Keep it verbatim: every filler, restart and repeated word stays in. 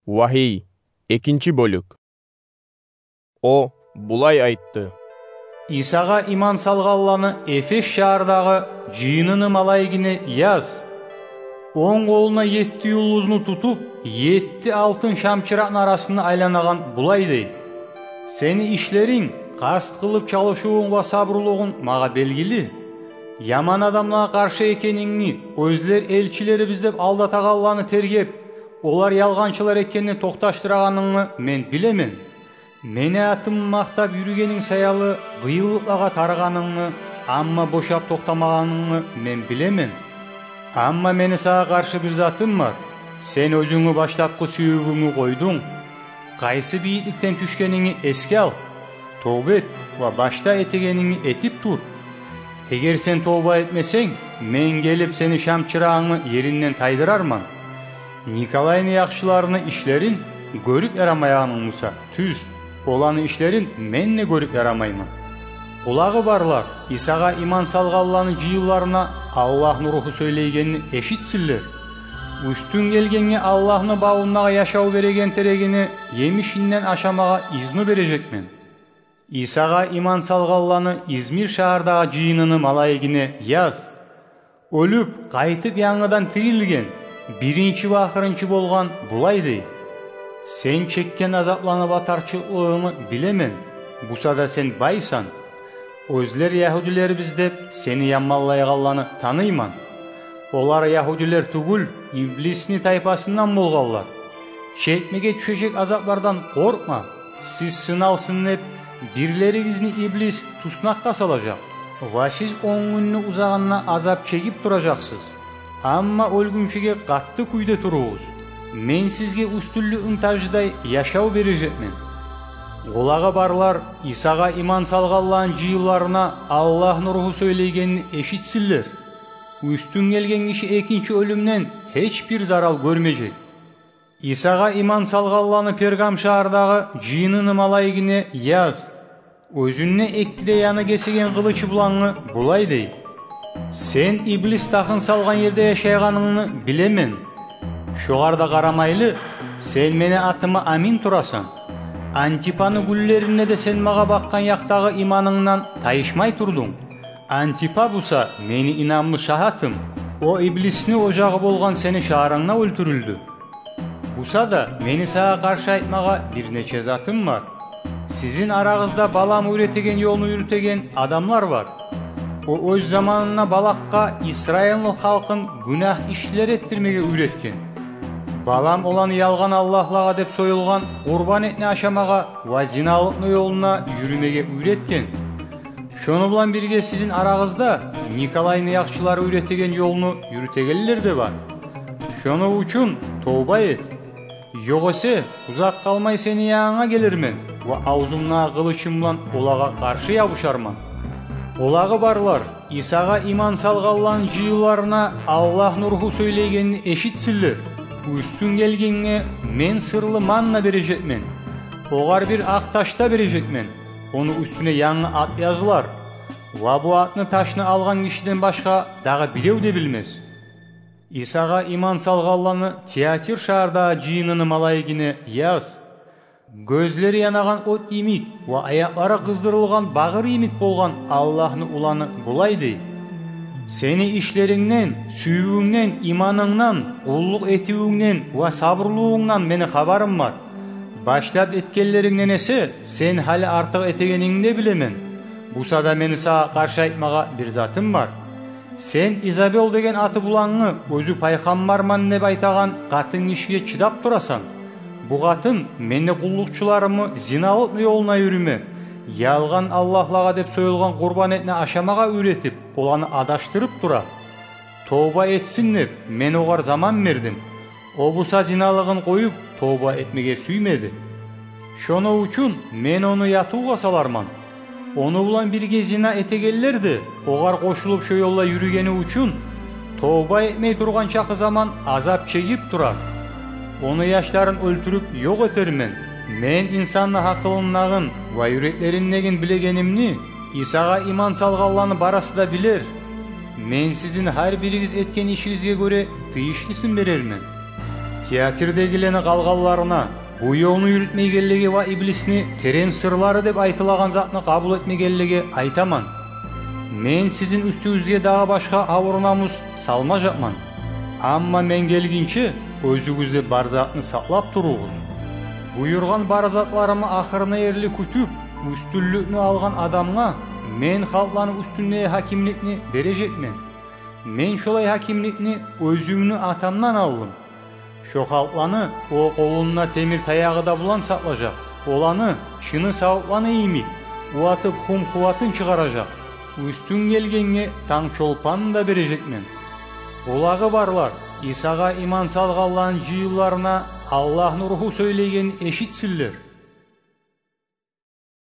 Вагьий, экинчи бёлюк. О булай айтды: Исагъа иман салгъанланы Эфес шагьардагъы жыйыныны малайигине яз. Онг къолуна етти юлдузну тутуп, етти алтын шамчыракъны арасында айланагъан булай дей: сени ишлеринг, къаст къылып чалышывунг ва сабурлугъунг магъа белгили. Яман адамлагъа къаршы экенингни, оьзлер элчилерибиз деп алдатагъанланы тергеп, олар ялгъанчылар экенни токъташдырагъанынгны мен билемен. Мени атымны макътап юрюгенинг саялы, къыйынлыкълагъа тарыгъанынгны, амма бошап токътамагъанынгны мен билемен. Амма мени сагъа къаршы бир затым бар: сен оьзюнгню башлапгъы сюювюнгню къойдунг. Къайсы бийикликден тюшгенингни эсге ал, товба эт ва башда этегенингни этип тур. Эгер сен товба этмесенг, мен гелип, сени шамчырагъынгны еринден тайдырарман. Николайны яхшыларыны ишлерин гёрюп ярамайгъанынг буса, тюз, оланы ишлерин мен де гёрюп ярамайман. Къулагъы барлар Исагъа иман салгъанланы жыйынларына Аллагьны Руху сёйлейгенни эшитсинлер. Уьстюн гелгенге Аллагьны бавундагъы яшав береген терегини емишинден ашамагъа изну бережекмен. Исагъа иман салгъанланы Измир шагьардагъы жыйыныны малайигине яз. Оьлюп, къайтып янгыдан тирилген, биринчи ва ахырынчы болгъан булай дей: сен чекген азапланы ва тарчылыкълыгъынгны билемен, буса да сен байсан. Оьзлер ягьудилербиз деп сени яманлайгъанланы таныйман. Олар ягьудилер тюгюл, иблисни тайпасындан болгъанлар. Чекмеге тюшежек азаплардан къоркъма. Сиз сыналсын деп, бирлеригизни иблис туснакъгъа салажакъ. Ва сиз он гюнню узагъында азап чегип туражакъсыз. Амма оьлгюнчеге къатты кюйде туругъуз. Мен сизге уьстюнлюкню тажыдай яшав бережекмен. Къулагъы барлар Исагъа иман салгъанланы жыйынларына Аллагьны Руху сёйлейгенни эшитсинлер. Уьстюн гелген гиши экинчи оьлюмден гьеч бир зарал гёрмежек. Исагъа иман салгъанланы Пергам шагьардагъы жыйыныны малайигине яз. Оьзюнде эки де яны гесеген къылычы булангъы булай дей: сен иблис тахын салгъан ерде яшайгъанынгны билемен. Шогъар да къарамайлы, сен мени атыма амин турасан. Антипаны гюнлеринде де сен магъа бакъгъан якъдагъы иманынгдан тайышмай турдунг. Антипа буса мени инамлы шагьатым. О иблисни ожагъы болгъан сени шагьарынгда оьлтюрюлдю. Буса да мени сагъа къаршы айтмагъа бир нече затым бар. Сизин арагъызда Балам уьйретеген ёлну юрютеген адамлар бар. О оьз заманында Балакъгъа Исраилни халкъын гюнагь ишлер этдирмеге уьйретген. Балам оланы ялгъан аллагьлагъа деп союлгъан къурбан этни ашамагъа ва зиналыкъны ёлуна юрюмеге уьйретген. Шону булан бирге сизин арагъызда Николайны яхшылары уьйретеген ёлну юрютегенлер де бар. Шону учун товба эт. Ёгъесе узакъ къалмай сени янынга гелермен ва авзумдагъы къылычым булан олагъа къаршы ябушарман. Къулагъы барлар Исагъа иман салгъанланы жыйынларына Аллагьны Руху сёйлейгенни эшитсинлер. Уьстюн гелгенге мен сырлы манна бережекмен. Огъар бир акъ таш да бережекмен. Ону уьстюне янгы ат язылар. Ва бу атны ташны алгъан гишиден башгъа дагъы бирев де билмес. Исагъа иман салгъанланы Тиатир шагьардагъы жыйыныны малайигине яз. Гёзлери янагъан от йимик ва аякълары къыздырылгъан багъыр йимик болгъан Аллагьны уланы булай дей: сени ишлерингден, сюювюнгден, иманынгдан, къуллукъ этивюнгден ва сабурлугъунгдан мени хабарым бар. Башлап этгенлерингден эсе сен гьали артыкъ этегенингни де билемен. Буса да мени сагъа къаршы айтмагъа бир затым бар. Сен Изабел деген аты булангъы, оьзю пайхаммарман деп айтагъан къатын гишиге чыдап турасан. Бу къатын мени къуллукъчуларымны зиналыкъны ёлуна юрюме, ялгъан аллагьлагъа деп союлгъан къурбан этни ашамагъа уьйретип, оланы адашдырып тура. Товба этсин деп, мен огъар заман бердим. О буса зиналыгъын къоюп, товба этмеге сюймеди. Шону учун мен ону ятывгъа саларман. Ону булан бирге зина этегенлер де, огъар къошулуп шо ёлда юрюгени учун, товба этмей тургъан чакъы заман азап чегип турар. Ону яшларын оьлтюрюп ёкъ этермен. Мен инсанны гьакъылындагъын ва юреклериндегин билегенимни Исагъа иман салгъанланы барысы да билер. Мен сизин гьар биригиз этген ишигизге гёре тийишлисин берермен. Тиатрдегилени къалгъанларына, бу ёлну юрютмейгенлиги ва иблисни терен сырлары деп айтылагъан затны къабул этмегенлиги айтаман: мен сизин уьстюгюзге дагъы башгъа авур намус салмажакъман. Амма мен гелгинче, оьзюгюзде бар затны сакълап туругъуз. Буюргъан бар затларымны ахырына ерли кютюп, уьстюнлюкню алгъан адамгъа мен халкъланы уьстюндеги гьакимликни бережекмен. Мен шолай гьакимликни оьзюмню Атамдан алдым. Шо халкъланы о къолунда темир таягъы да булан сакълажакъ. Оланы чыны савутланы йимик уватып, хум-хуватын чыгъаражакъ. Уьстюн гелгенге танг чолпанны да бережекмен. Къулагъы барлар Исагъа иман салгъанланы жыйынларына Аллагьны Ругьу сёйлейгенни эшитсинлер.